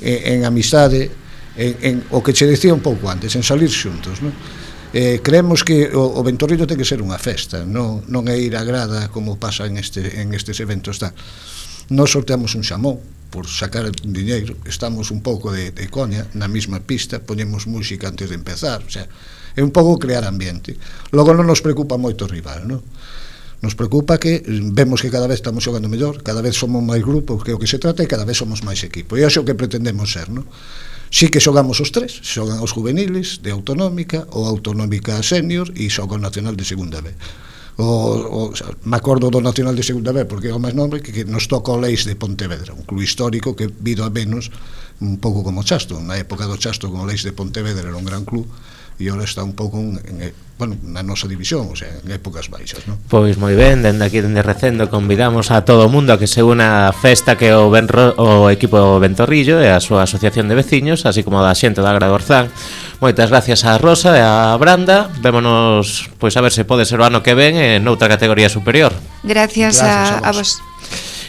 en amistade, en o que che decía un pouco antes, en salir xuntos, non? Creemos que o Ventorrillo ten que ser unha festa, non é ir a grada como pasa en estes eventos tal. Nos sorteamos un xamón por sacar diñeiro, estamos un pouco de coña na mesma pista, poñemos música antes de empezar, o sea, é un pouco crear ambiente. Logo non nos preocupa moito o rival, non? Nos preocupa que vemos que cada vez estamos xogando mellor, cada vez somos máis grupos, que o que se trata e cada vez somos máis equipo, e é o que pretendemos ser, non? Sí que xogamos os tres, xogan os juveniles de autonómica, ou autonómica senior, e xoga o nacional de segunda B. Me acordo do nacional de segunda B porque é o máis nombre, que nos toca o Leis de Pontevedra, un club histórico que vido a menos un pouco como o Chasto. Na época do Chasto, con o Leis de Pontevedra era un gran club, e agora está un pouco na nosa división, o sea, en épocas baixas, non? Pois moi ben, dende aquí, dende Recendo, convidamos a todo o mundo a que se una a festa que o equipo Ventorrillo e a súa asociación de veciños, así como da xente da Agra do Orzán. Moitas gracias a Rosa e a Branda. Vémonos, pois a ver se pode ser o ano que ven en outra categoría superior. Gracias a vos.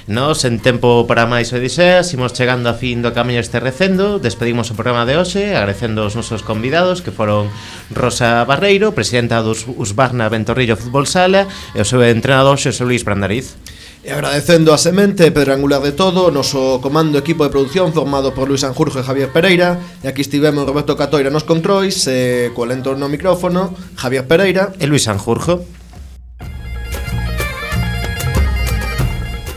Nos, en tempo para máis odiseas, imos chegando a fin do camiño este Recendo. Despedimos o programa de hoxe agradecendo os nosos convidados, que foron Rosa Barreiro, presidenta dos Husqvarna Ventorrillo Fútbol Sala, e o seu entrenador Xosé Luís Brandariz. E agradecendo a semente, pedra angular de todo, o noso comando equipo de producción formado por Luis Sanjurjo e Javier Pereira, e aquí estivemos Roberto Catoira nos controis, e co lento no micrófono Javier Pereira e Luis Sanjurjo.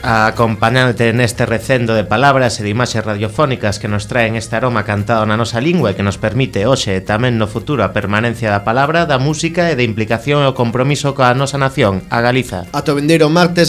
Acompañándote neste recendo de palabras e de imaxes radiofónicas que nos traen este aroma cantado na nosa lingua e que nos permite hoxe e tamén no futuro a permanencia da palabra, da música e de implicación e o compromiso coa nosa nación, a Galiza. Ata o vindeiro martes a